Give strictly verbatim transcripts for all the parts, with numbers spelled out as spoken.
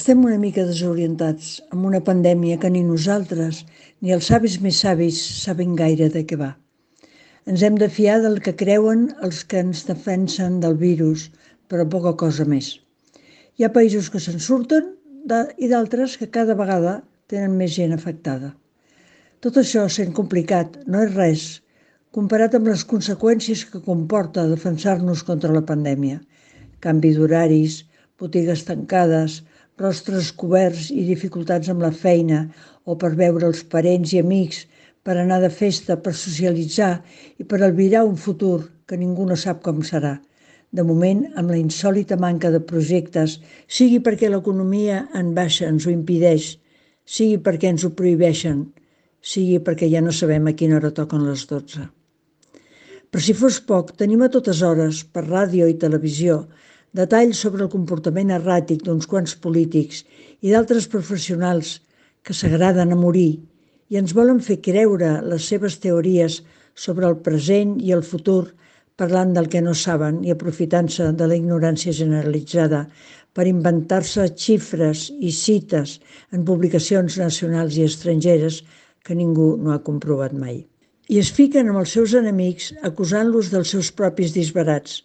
Estem una mica desorientats amb una pandèmia que ni nosaltres ni els savis més savis saben gaire de què va. Ens hem de fiar del que creuen els que ens defensen del virus, però poca cosa més. Hi ha països que se'n surten i d'altres que cada vegada tenen més gent afectada. Tot això, sent complicat, no és res comparat amb les conseqüències que comporta defensar-nos contra la pandèmia. Canvi d'horaris, botigues tancades, rostres coberts i dificultats amb la feina o per veure els parents i amics, per anar de festa, per socialitzar i per albirar un futur que ningú no sap com serà. De moment, amb la insòlita manca de projectes, sigui perquè l'economia en baixa ens ho impedeix, sigui perquè ens ho prohibeixen, sigui perquè ja no sabem a quina hora toquen les dotze. Per si fos poc, tenim a totes hores, per ràdio i televisió, detalls sobre el comportament erràtic d'uns quants polítics i d'altres professionals que s'agraden a morir i ens volen fer creure les seves teories sobre el present i el futur parlant del que no saben i aprofitant-se de la ignorància generalitzada per inventar-se xifres i cites en publicacions nacionals i estrangeres que ningú no ha comprovat mai. I es fiquen amb els seus enemics acusant-los dels seus propis disbarats,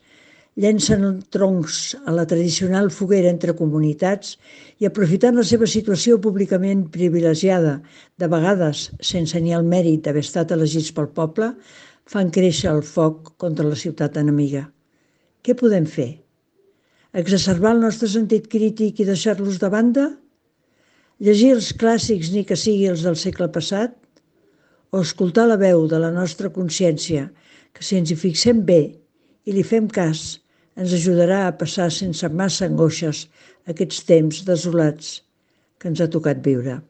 llencen troncs a la tradicional foguera entre comunitats i aprofitant la seva situació públicament privilegiada, de vegades sense ni el mèrit d'haver estat elegits pel poble, fan créixer el foc contra la ciutat enemiga. Què podem fer? Exacerbar el nostre sentit crític i deixar-los de banda? Llegir els clàssics ni que sigui els del segle passat? O escoltar la veu de la nostra consciència, que si ens hi fixem bé i li fem cas, ens ajudarà a passar sense massa angoixes aquests temps desolats que ens ha tocat viure.